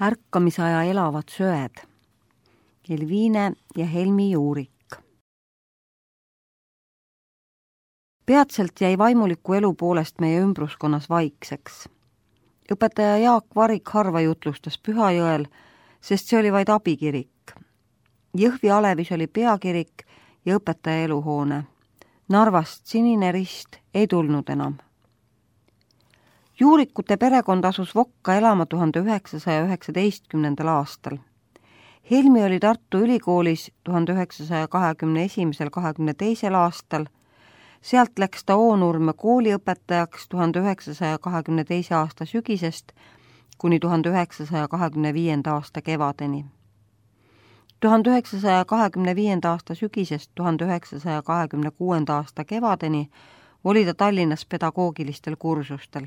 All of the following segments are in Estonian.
Ärkamisaja elavad söed. Elviine ja Helmi Juurik. Peatselt jäi vaimuliku elu poolest meie ümbruskonnas vaikseks. Õpetaja Jaak Varik harva jutlustas Pühajõel, sest see oli vaid abikirik. Jõhvi Alevis oli peakirik ja õpetaja eluhoone. Narvast Sinine Rist ei tulnud enam. Juurikute perekond asus Vokka elama 1919. aastal. Helmi oli Tartu Ülikoolis 1921–22. aastal. Sealt läks ta Oonurme kooliõpetajaks 1922. aasta sügisest kuni 1925. aasta kevadeni. 1925. aasta sügisest 1926. aasta kevadeni oli ta Tallinnas pedagoogilistel kursustel.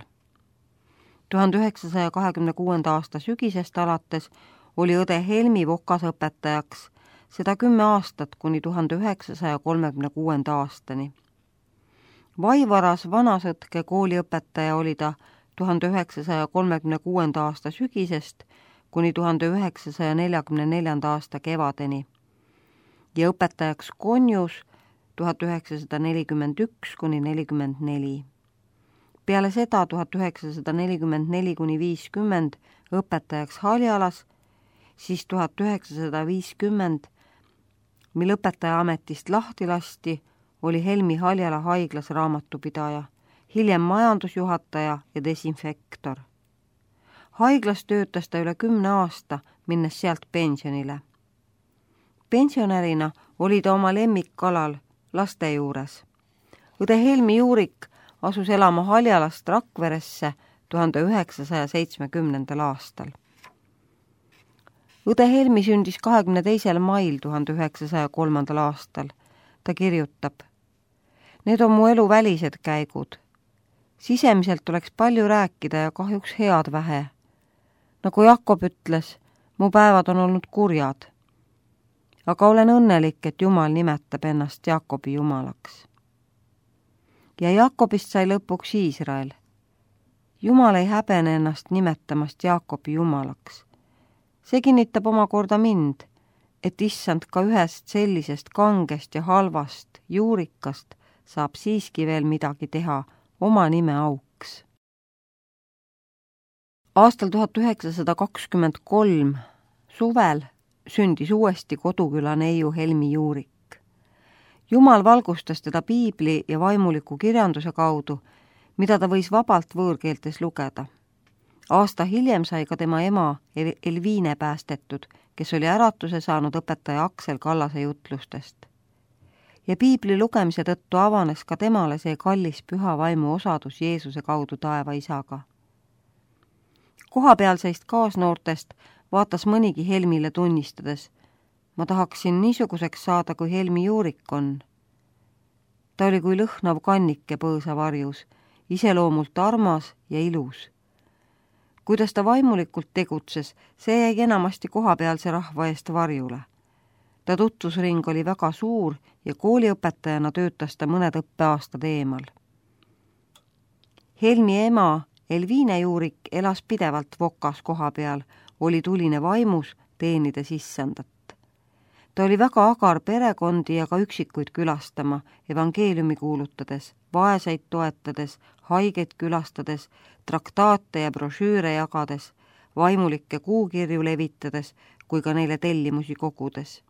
1926. aasta sügisest alates oli õde Helmi Vokas õpetajaks, seda 10 aastat kuni 1936. aastani. Vaivaras Vanasõtke kooliõpetaja oli ta 1936. aasta sügisest kuni 1944. aasta kevadeni ja õpetajaks Konjus 1941–44. Peale seda 1944–50 õpetajaks Haljalas, siis 1950, mil õpetaja ametist lahti lasti, oli Helmi Haljala haiglas raamatupidaja, hiljem majandusjuhataja ja desinfektor. Haiglas töötas ta üle 10 aasta, minnes sealt pensionile. Pensionärina oli ta oma lemmikkalal laste juures. Õde Helmi Juurik asus elama Haljalast Rakveresse 1970. aastal. Õde Helmi sündis 22. mail 1903. aastal. Ta kirjutab: "Need on mu elu välised käigud. Sisemiselt oleks palju rääkida ja kahjuks head vähe. Nagu Jakob ütles, mu päevad on olnud kurjad. Aga olen õnnelik, et Jumal nimetab ennast Jakobi Jumalaks." Ja Jakobist sai lõpuks Iisrael. Jumal ei häbene ennast nimetamast Jakobi Jumalaks. See kinnitab omakorda mind, et issand ka ühest sellisest kangest ja halvast juurikast saab siiski veel midagi teha oma nime auks. Aastal 1923 suvel sündis uuesti koduküla neiu Helmi Juurik. Jumal valgustas teda piibli ja vaimuliku kirjanduse kaudu, mida ta võis vabalt võõrkeeltes lugeda. Aasta hiljem sai ka tema ema Elviine päästetud, kes oli äratuse saanud õpetaja Aksel Kallase jutlustest. Ja piibli lugemise tõttu avanes ka temale see kallis püha vaimu osadus Jeesuse kaudu taeva isaga. Kohapealseist kaasnoortest vaatas mõnigi Helmile tunnistades: "Ma tahaksin niisuguseks saada, kui Helmi Juurik on." Ta oli kui lõhnav kannike põõsa varjus, iseloomult armas ja ilus. Kuidas ta vaimulikult tegutses, see jäi enamasti kohapealse rahva eest varjule. Ta tutvusring oli väga suur ja kooliõpetajana töötas ta mõned õppeaastad eemal. Helmi ema Elviine Juurik elas pidevalt Vokas koha peal, oli tuline vaimus, teenides issandat. Ta oli väga agar perekondi ja ka üksikuid külastama, evangeeliumi kuulutades, vaeseid toetades, haigeid külastades, traktaate ja brošüüre jagades, vaimulikke kuukirju levitades kui ka neile tellimusi kogudes.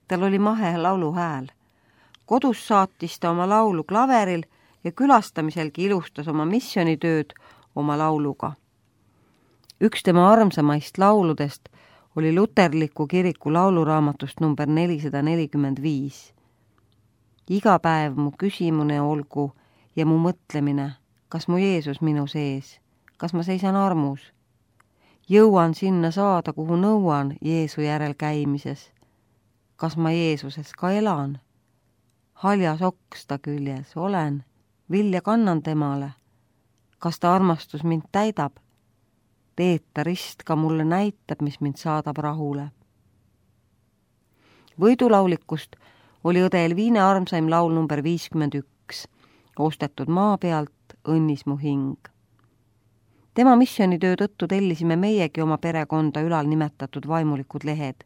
Tal oli mahe lauluhääl. Kodus saatis ta oma laulu klaveril ja külastamiselgi ilustas oma missioonitööd oma lauluga. Üks tema armsamaist lauludest oli luterliku kiriku lauluraamatust number 445. Iga päev mu küsimune olgu ja mu mõtlemine, kas mu Jeesus minu sees, kas ma seisan armus. Jõuan sinna saada, kuhu nõuan Jeesu järel käimises. Kas ma Jeesuses ka elan? Haljas oks ta küljes olen, vilja kannan temale. Kas ta armastus mind täidab? Teed ta rist ka mulle näitab, mis mind saadab rahule. Võidulaulikust oli õde Elviine armsaim laul number 51, ostetud maa pealt õnnis mu hing. Tema missionitöö tõttu tellisime meiegi oma perekonda ülal nimetatud vaimulikud lehed.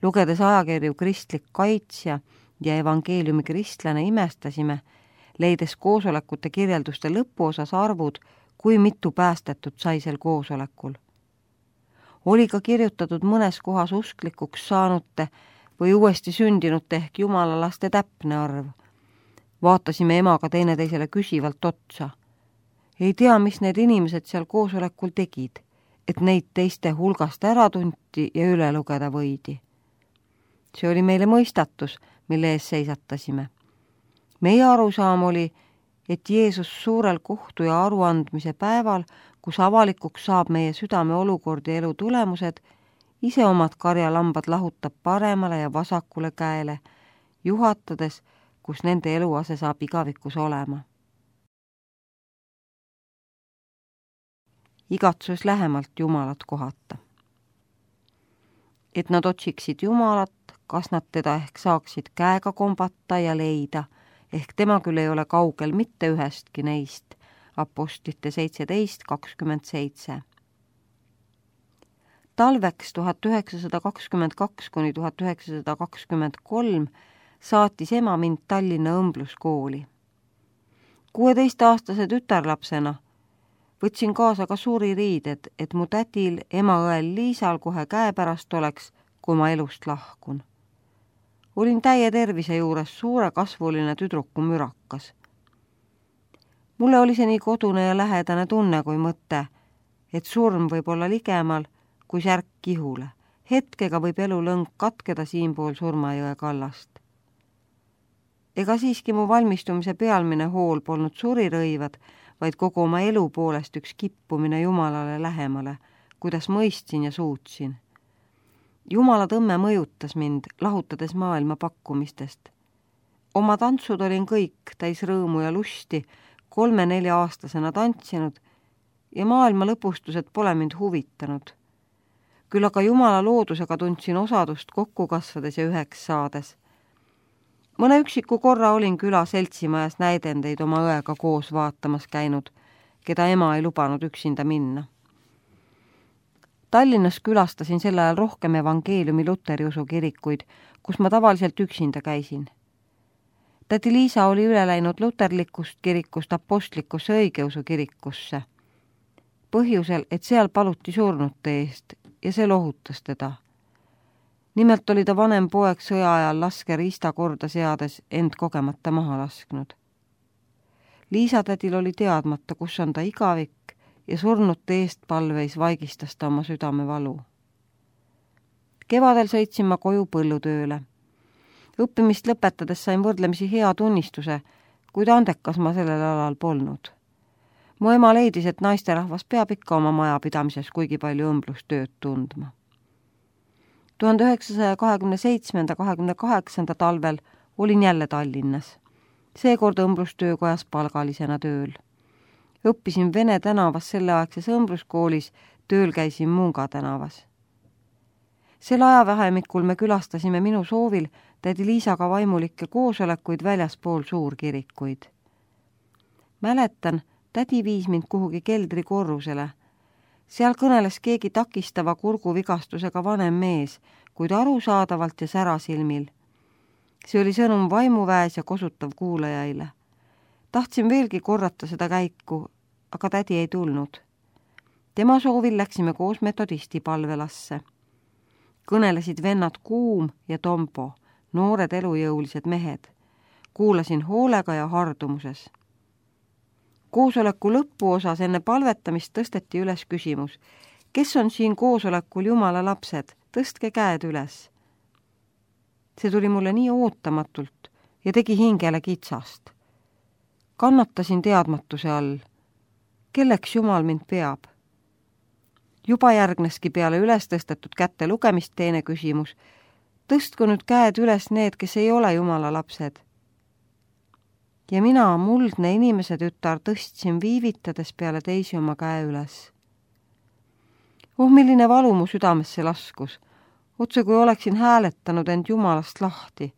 Lugedes ajakirju Kristlik kaitsja ja evangeeliumi kristlane imestasime, leides koosolekute kirjelduste lõpuosas arvud, kui mitu päästetut sai sel koosolekul. Oli ka kirjutatud mõnes kohas usklikuks saanute või uuesti sündinute ehk jumala laste täpne arv. Vaatasime emaga teineteisele küsivalt otsa. Ei tea, mis need inimesed seal koosolekul tegid, et neid teiste hulgast ära tunti ja üle lugeda võidi. See oli meile mõistatus, mille ees seisatasime. Meie arusaam oli, et Jeesus suurel kohtu ja aruandmise päeval, kus avalikuks saab meie südame olukord ja elu tulemused, ise omad karjalambad lahutab paremale ja vasakule käele, juhatades, kus nende eluase saab igavikus olema. Igatsus lähemalt Jumalat kohata. Et nad otsiksid Jumalat, kas nad teda ehk saaksid käega kombata ja leida, ehk tema küll ei ole kaugel mitte ühestki neist, Apostlite 17:27. Talveks 1922–1923 saatis ema mind Tallinna õmbluskooli. 16-aastase tütarlapsena võtsin kaasa ka suririided, et mu tädil, ema-õel Liisal kohe käepärast oleks, kui ma elust lahkun. Olin täie tervise juures suure kasvuline tüdruku mürakas. Mulle oli see nii kodune ja lähedane tunne kui mõte, et surm võib olla ligemal kui särk kihule. Hetkega võib elulõng katkeda siinpool Surmajõe kallast. Ega siiski mu valmistumise pealmine hool polnud surirõivad, vaid kogu oma elu poolest üks kippumine Jumalale lähemale, kuidas mõistsin ja suutsin. Jumala tõmme mõjutas mind, lahutades maailma pakkumistest. Oma tantsud olin kõik täis rõõmu ja lusti, 3-4-aastasena tantsinud ja maailma lõpustused pole mind huvitanud. Küll aga Jumala loodusega tundsin osadust kokku kasvades ja üheks saades. Mõne üksiku korra olin küla seltsimajas näidendeid oma õega koos vaatamas käinud, keda ema ei lubanud üksinda minna. Tallinnas külastasin sel ajal rohkem evangeeliumi luteriusu kirikuid, kus ma tavaliselt üksinda käisin. Tädi Liisa oli üle läinud luterlikust kirikust apostlikusse õigeusu kirikusse. Põhjusel, et seal paluti surnute eest ja see lohutas teda. Nimelt oli ta vanem poeg sõja ajal laske riista korda seades end kogemata maha lasknud. Liisa tädil oli teadmata, kus on ta igavik ja surnute eest palveis vaigistas ta oma südame valu. Kevadel sõitsin ma koju põllutööle. Õppimist lõpetades sain võrdlemisi hea tunnistuse, kuid andekas ma sellel alal polnud. Mu ema leidis, et naisterahvas peab ikka oma majapidamises kuigi palju õmblustööd tundma. 1927–28 talvel olin jälle Tallinnas. Seekord õmblustöökojas palgalisena tööl. Õppisin Vene tänavas selleaegses õmbluskoolis, tööl käisin Munga tänavas. Sel ajavahemikul me külastasime minu soovil tädi Liisaga vaimulikke koosolekuid väljaspool suurkirikuid. Mäletan, tädi viis mind kuhugi keldrikorrusele. Seal kõneles keegi takistava kurguvigastusega vanem mees, kuid arusaadavalt ja särasilmil. See oli sõnum vaimuväes ja kosutav kuulajaile. Tahtsin veelgi korrata seda käiku, aga tädi ei tulnud. Tema soovil läksime koos metodisti palvelasse. Kõnelesid vennad Kuum ja Tompo, noored elujõulised mehed. Kuulasin hoolega ja hardumuses. Koosoleku lõpuosas enne palvetamist tõsteti üles küsimus, kes on siin koosolekul Jumala lapsed, tõstke käed üles. See tuli mulle nii ootamatult ja tegi hingele kitsast. Kannatasin teadmatuse all. Kelleks Jumal mind peab? Juba järgneski peale üles tõstetud kätte lugemist teine küsimus. Tõstku nüüd käed üles need, kes ei ole Jumala lapsed. Ja mina, muldne inimese tütar, tõstsin viivitades peale teisi oma käe üles. Milline valu mu südamesse laskus. Otse kui oleksin hääletanud end Jumalast lahti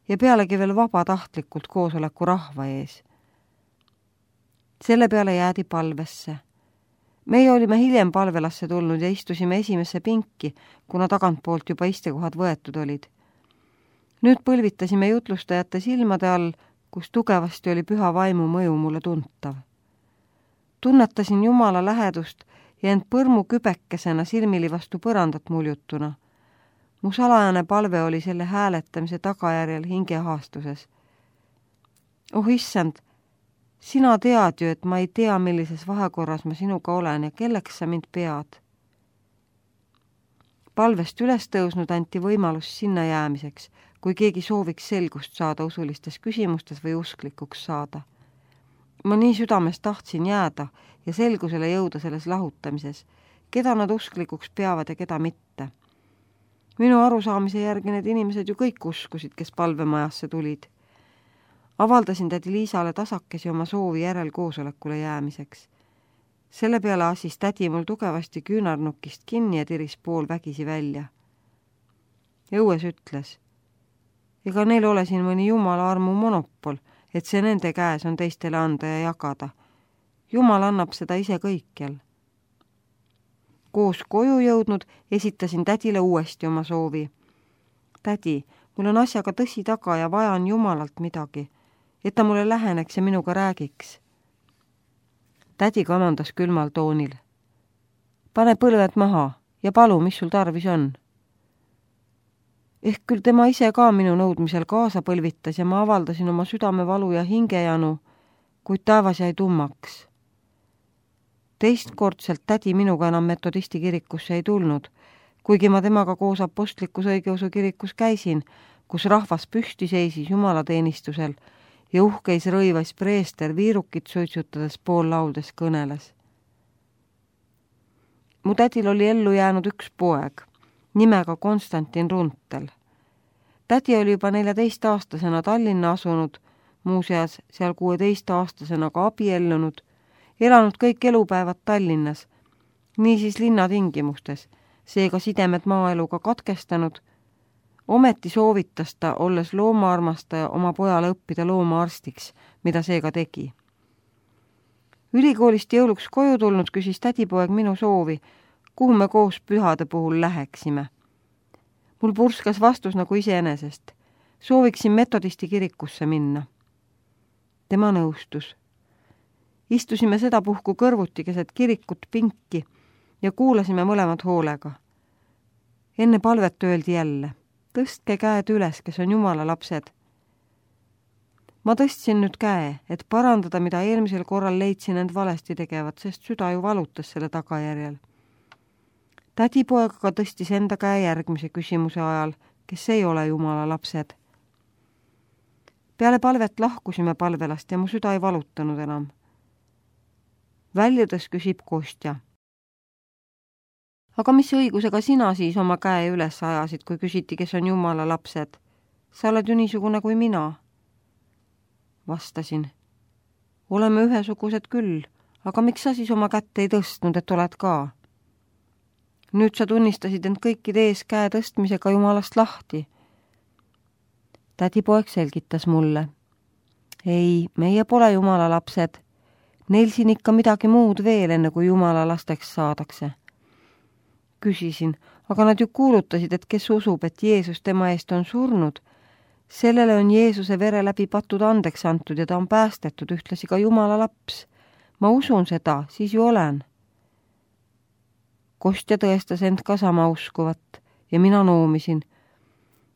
ja pealegi veel vabatahtlikult koosoleku rahva ees. Selle peale jäädi palvesse. Meie olime hiljem palvelasse tulnud ja istusime esimesse pinki, kuna tagantpoolt juba istekohad võetud olid. Nüüd põlvitasime jutlustajate silmade all, kus tugevasti oli püha vaimu mõju mulle tuntav. Tunnetasin Jumala lähedust ja end põrmu kübekesena silmili vastu põrandat muljutuna. Mu salajane palve oli selle hääletamise tagajärjel hingehaastuses. Oh issand, sina tead ju, et ma ei tea, millises vahekorras ma sinuga olen ja kelleks sa mind pead. Palvest üles tõusnud anti võimalus sinna jäämiseks, kui keegi sooviks selgust saada usulistes küsimustes või usklikuks saada. Ma nii südames tahtsin jääda ja selgusele jõuda selles lahutamises, keda nad usklikuks peavad ja keda mitte. Minu arusaamise järgi need inimesed ju kõik uskusid, kes palvemajasse tulid. Avaldasin tädi Liisale tasakesi oma soovi järelkoosolekule jäämiseks. Selle peale asis tädi mul tugevasti küünarnukist kinni ja tiris pool vägisi välja. Õues ütles, ega neil ole siin mõni Jumala armu monopol, et see nende käes on teistele anda ja jagada. Jumal annab seda ise kõikjal. Koos koju jõudnud esitasin tädile uuesti oma soovi. Tädi, mul on asjaga tõsi taga ja vajan Jumalalt midagi, et ta mulle läheneks ja minuga räägiks. Tädi kamandas külmal toonil. Pane põlved maha ja palu, mis sul tarvis on. Ehk küll tema ise ka minu nõudmisel kaasa põlvitas ja ma avaldasin oma südamevalu ja hingejanu, kuid taevas jäi tummaks. Teistkordselt tädi minuga enam metodisti kirikusse ei tulnud, kuigi ma temaga koos apostlikus õigeusu kirikus käisin, kus rahvas püsti seisis jumalateenistusel ja uhkeis rõivas preester viirukit suitsutades pool lauldes kõneles. Mu tädil oli ellu jäänud üks poeg, nimega Konstantin Runtel. Tädi oli juba 14-aastasena Tallinna asunud, muuseas seal 16-aastasena ka abiellunud, elanud kõik elupäevad Tallinnas, niisiis linnatingimustes, seega sidemed maaeluga katkestanud. Ometi soovitas ta, olles loomaarmastaja, oma pojale õppida loomaarstiks, mida seega tegi. Ülikoolist jõuluks koju tulnud küsis tädipoeg minu soovi, kuhu me koos pühade puhul läheksime. Mul purskas vastus nagu iseenesest. Sooviksin metodisti kirikusse minna. Tema nõustus. Istusime sedapuhku kõrvuti keset kirikut pinki ja kuulasime mõlemad hoolega. Enne palvet öeldi jälle, tõstke käed üles, kes on Jumala lapsed. Ma tõstsin nüüd käe, et parandada, mida eelmisel korral leidsin end valesti tegevat, sest süda ju valutas selle tagajärjel. Tädipoeg aga tõstis enda käe järgmise küsimuse ajal, kes ei ole Jumala lapsed. Peale palvet lahkusime palvelast ja mu süda ei valutanud enam. Väljudes küsib Kostja. Aga mis õigusega sina siis oma käe üles ajasid, kui küsiti, kes on Jumala lapsed? Sa oled ju niisugune kui mina. Vastasin. Oleme ühesugused küll, aga miks sa siis oma kätt ei tõstnud, et oled ka? Nüüd sa tunnistasid end kõikide ees käe tõstmisega Jumalast lahti. Tädipoeg selgitas mulle. Ei, meie pole Jumala lapsed. Neil siin ikka midagi muud veel, enne kui Jumala lasteks saadakse. Küsisin, aga nad ju kuulutasid, et kes usub, et Jeesus tema eest on surnud. Sellele on Jeesuse vere läbi patud andeks antud ja ta on päästetud, ühtlasi ka Jumala laps. Ma usun seda, siis ju olen. Kostja tõestas end ka sama uskuvat ja mina noomisin.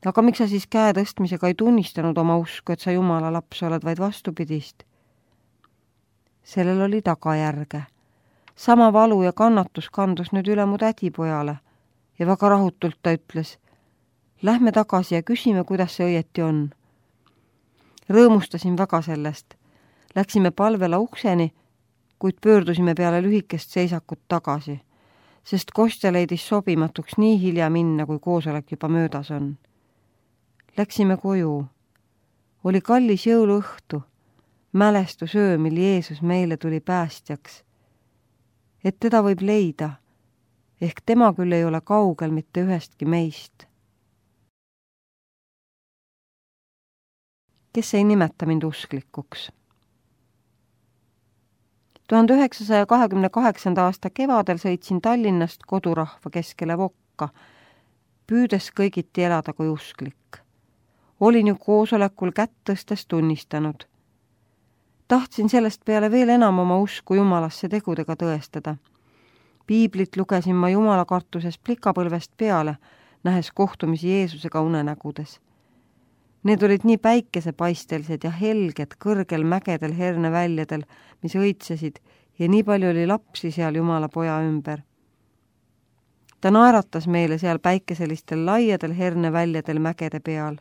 Aga miks sa siis käe tõstmisega ei tunnistanud oma usku, et sa Jumala laps oled, vaid vastupidist? Sellel oli tagajärge. Sama valu ja kannatus kandus nüüd üle mu tädipojale ja väga rahutult ta ütles, lähme tagasi ja küsime, kuidas see õieti on. Rõõmustasin väga sellest. Läksime palvela ukseni, kuid pöördusime peale lühikest seisakut tagasi, sest Kostja leidis sobimatuks nii hilja minna, kui koosolek juba möödas on. Läksime koju. Oli kallis jõuluõhtu, mälestusöö, mil Jeesus meile tuli päästjaks. Et teda võib leida, ehk tema küll ei ole kaugel mitte ühestki meist. Kes ei nimeta mind usklikuks? 1928. aasta kevadel sõitsin Tallinnast kodurahva keskele Vokka, püüdes kõigiti elada kui usklik. Olin ju koosolekul kätt tõstes tunnistanud. Tahtsin sellest peale veel enam oma usku Jumalasse tegudega tõestada. Piiblit lugesin ma Jumala kartuses plikapõlvest peale, nähes kohtumisi Jeesusega unenägudes. Need olid nii päikesepaistelised ja helged kõrgel mägedel herneväljadel, mis õitsesid, ja nii palju oli lapsi seal Jumala poja ümber. Ta naeratas meile seal päikeselistel laiadel herneväljadel mägede peal.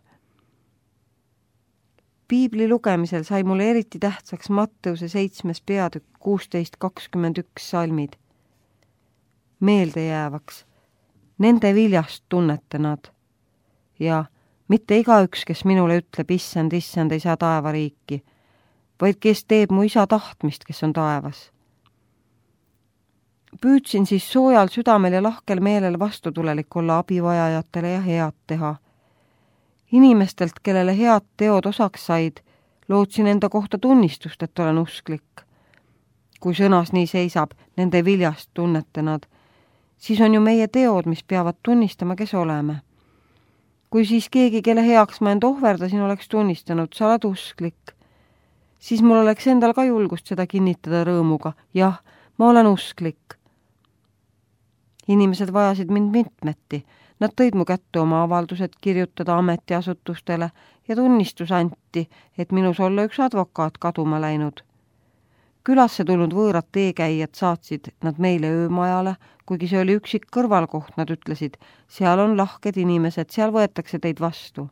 Piibli lugemisel sai mulle eriti tähtsaks Matteuse 7. peatükk 16-21 salmid. Meeldejäävaks, nende viljast tunnete nad. Ja mitte igaüks, kes minule ütleb, issand, issand, ei saa taevariiki, vaid kes teeb mu isa tahtmist, kes on taevas. Püüdsin siis soojal südamel ja lahkel meelel vastutulelik olla abivajajatele ja head teha. Inimestelt, kellele head teod osaks said, lootsin enda kohta tunnistust, et olen usklik. Kui sõnas nii seisab, nende viljast tunnete nad, siis on ju meie teod, mis peavad tunnistama, kes oleme. Kui siis keegi, kelle heaks ma end ohverdasin, oleks tunnistanud, sa oled usklik, siis mul oleks endal ka julgust seda kinnitada rõõmuga. Jah, ma olen usklik. Inimesed vajasid mind mitmeti. Nad tõid mu kätte oma avaldused kirjutada ametiasutustele ja tunnistus anti, et minus olla üks advokaat kaduma läinud. Külasse tulnud võõrad teekäijad saatsid nad meile öömajale, kuigi see oli üksik kõrvalkoht, nad ütlesid, seal on lahked inimesed, seal võetakse teid vastu.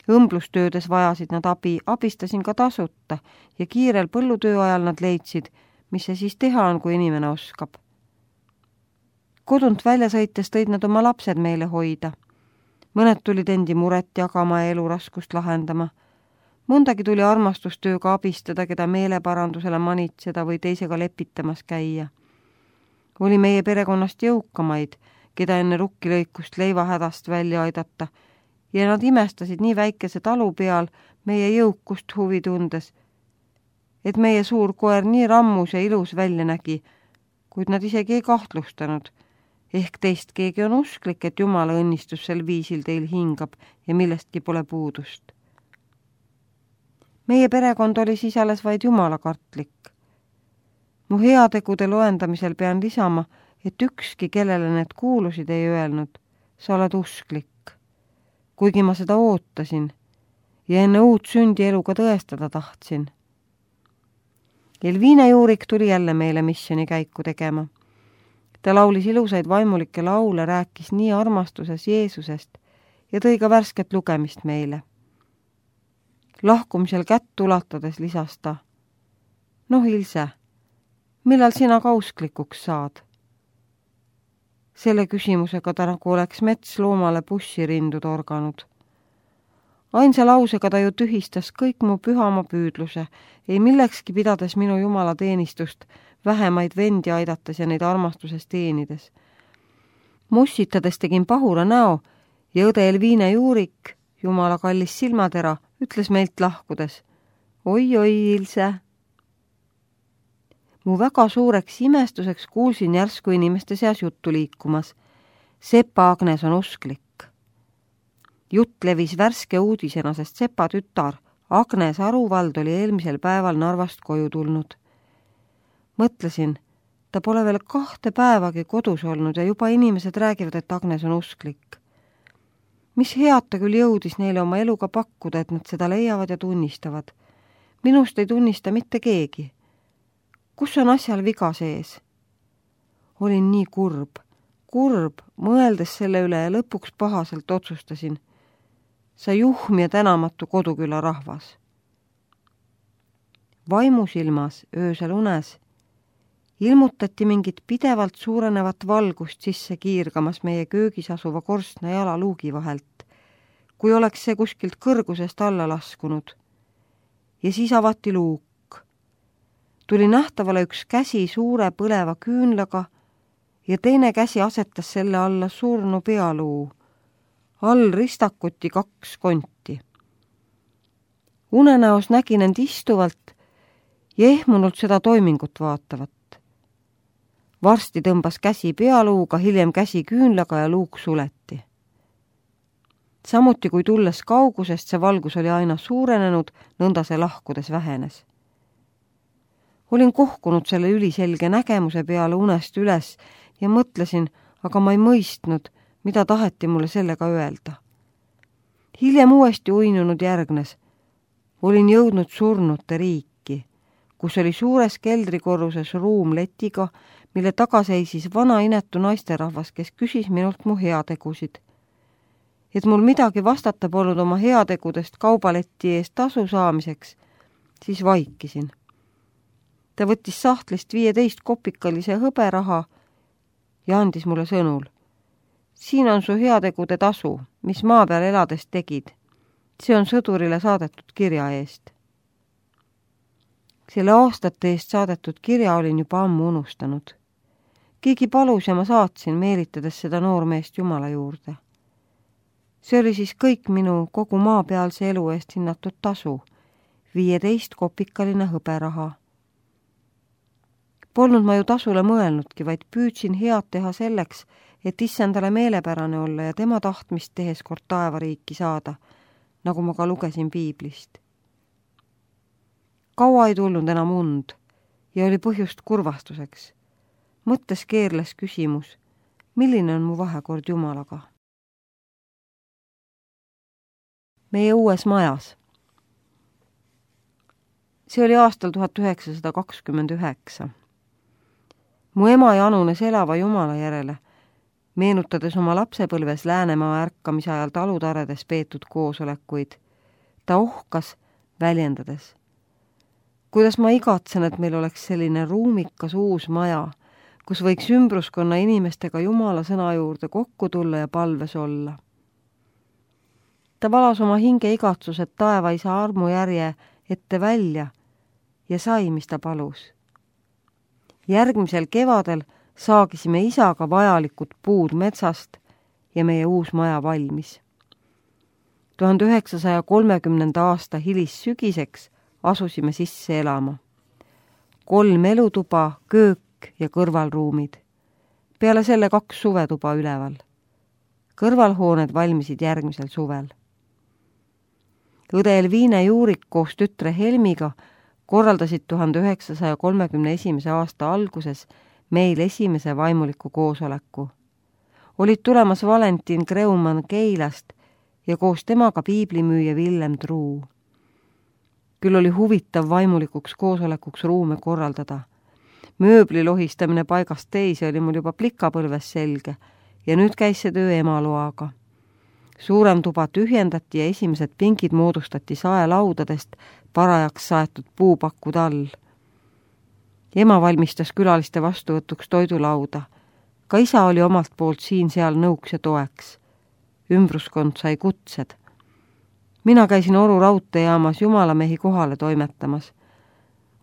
Õmblustöödes vajasid nad abi, abistasin ka tasuta ja kiirel põllutöö ajal nad leidsid, mis see siis teha on, kui inimene oskab. Kodunt välja sõites tõid nad oma lapsed meile hoida. Mõned tulid endi muret jagama ja eluraskust lahendama. Mõndagi tuli armastustööga abistada, keda meeleparandusele manitseda või teisega lepitamas käia. Oli meie perekonnast jõukamaid, keda enne rukkilõikust leivahädast välja aidata, ja nad imestasid nii väikese talu peal meie jõukust huvi tundes, et meie suur koer nii rammus ja ilus välja nägi, kuid nad isegi ei kahtlustanud. Ehk teist keegi on usklik, et Jumala õnnistus sel viisil teil hingab ja millestki pole puudust. Meie perekond oli siis alles vaid Jumala kartlik. Mu heategude loendamisel pean lisama, et ükski, kellele need kuulusid, ei öelnud, sa oled usklik, kuigi ma seda ootasin ja enne uut sündi eluga tõestada tahtsin. Elviina Juurik tuli jälle meile missiooni käiku tegema. Ta laulis ilusaid vaimulikke laule, rääkis nii armastuses Jeesusest ja tõi ka värsket lugemist meile. Lahkumisel kätt ulatades lisas ta, noh Ilse, millal sina ka usklikuks saad? Selle küsimusega ta nagu oleks metsloomale bussirindu torganud. Ainsa lausega ta ju tühistas kõik mu pühama püüdluse, ei millekski pidades minu Jumala teenistust, vähemaid vendi aidates ja neid armastuses teenides. Mussitades tegin pahura näo ja õde Elviina Juurik, Jumala kallis silmatera, ütles meilt lahkudes, oi, Ilse. Mu väga suureks imestuseks kuulsin järsku inimeste seas juttu liikumas. Sepa Agnes on usklik. Jutt levis värske uudisena, sest Sepa tütar Agnes Aruvald oli eelmisel päeval Narvast koju tulnud. Mõtlesin, ta pole veel 2 päevagi kodus olnud ja juba inimesed räägivad, et Agnes on usklik. Mis head ta küll jõudis neile oma eluga pakkuda, et nad seda leiavad ja tunnistavad. Minust ei tunnista mitte keegi. Kus on asjal viga sees? Olin nii kurb, mõeldes selle üle ja lõpuks pahaselt otsustasin. Sa juhm ja tänamatu Koduküla rahvas. Vaimusilmas öösel unes ilmutati mingit pidevalt suurenevat valgust sisse kiirgamas meie köögis asuva korstna jalaluugi vahelt, kui oleks see kuskilt kõrgusest alla laskunud. Ja siis avati luuk. Tuli nähtavale üks käsi suure põleva küünlaga ja teine käsi asetas selle alla surnu pealuu. All ristakuti 2 konti. Unenäos nägin end istuvalt ja ehmunult seda toimingut vaatavat. Varsti tõmbas käsi pealuuga, hiljem käsi küünlaga ja luuk suleti. Samuti kui tulles kaugusest, see valgus oli aina suurenenud, nõnda see lahkudes vähenes. Olin kohkunud selle üliselge nägemuse peale unest üles ja mõtlesin, aga ma ei mõistnud, mida taheti mulle sellega öelda. Hiljem uuesti uinunud järgnes. Olin jõudnud surnute riiki, kus oli suures keldrikorruses ruum letiga, mille taga seisis vana inetu naisterahvas, kes küsis minult mu heategusid. Et mul midagi vastata polnud oma heategudest kaubaletti eest tasu saamiseks, siis vaikisin. Ta võttis sahtlist 15 kopikalise hõberaha ja andis mulle sõnul. Siin on su heategude tasu, mis maa peal elades tegid. See on sõdurile saadetud kirja eest. Selle aastate eest saadetud kirja olin juba ammu unustanud. Keegi palus ja ma saatsin, meelitades seda noormeest Jumala juurde. See oli siis kõik minu kogu maapealse elu eest hinnatud tasu, 15 kopikaline hõberaha. Polnud ma ju tasule mõelnudki, vaid püüdsin head teha selleks, et issandale meelepärane olla ja tema tahtmist tehes kord taevariiki saada, nagu ma ka lugesin piiblist. Kaua ei tulnud enam und ja oli põhjust kurvastuseks. Mõttes keerles küsimus, milline on mu vahekord Jumalaga? Meie uues majas. See oli aastal 1929. Mu ema janunes elava Jumala järele, meenutades oma lapsepõlves Läänemaa ärkamise ajal talutaredes peetud koosolekuid. Ta ohkas, väljendades. Kuidas ma igatsen, et meil oleks selline ruumikas uus maja, kus võiks ümbruskonna inimestega Jumala sõna juurde kokku tulla ja palves olla. Ta valas oma hinge igatsused taevaisa armujärje ette välja ja sai, mis ta palus. Järgmisel kevadel saagisime isaga vajalikud puud metsast ja meie uus maja valmis. 1930. aasta hilissügiseks asusime sisse elama. 3 elutuba, köök ja kõrvalruumid. Peale selle 2 suvetuba üleval. Kõrvalhooned valmisid järgmisel suvel. Õde Elviine Juurik koos tütre Helmiga korraldasid 1931. aasta alguses meil esimese vaimuliku koosoleku. Olid tulemas Valentin Kreumann Keilast ja koos temaga piiblimüüja Villem Truu. Küll oli huvitav vaimulikuks koosolekuks ruume korraldada. Mööbli lohistamine paigast teise oli mul juba plikapõlves selge ja nüüd käis see töö ema loaga. Suurem tuba tühjendati ja esimesed pingid moodustati saelaudadest parajaks saetud puupakkud all. Ema valmistas külaliste vastuvõtuks toidulauda. Ka isa oli omalt poolt siin-seal nõuks ja toeks. Ümbruskond sai kutsed. Mina käisin Oru raudteejaamas jumalamehi kohale toimetamas.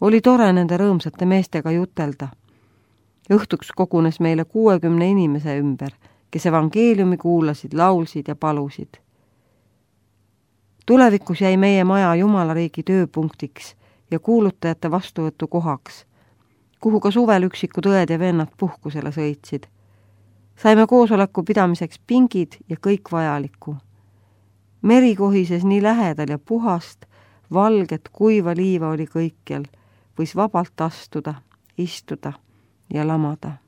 Oli tore nende rõõmsate meestega jutelda. Õhtuks kogunes meile 60 inimese ümber, kes evangeeliumi kuulasid, laulsid ja palusid. Tulevikus jäi meie maja Jumalariigi tööpunktiks ja kuulutajate vastuvõtu kohaks, kuhu ka suvel üksikud õed ja vennad puhkusele sõitsid. Saime koosoleku pidamiseks pingid ja kõik vajalikku. Meri kohises nii lähedal ja puhast, valget, kuiva liiva oli kõikjal, võis vabalt astuda, istuda ja lamada.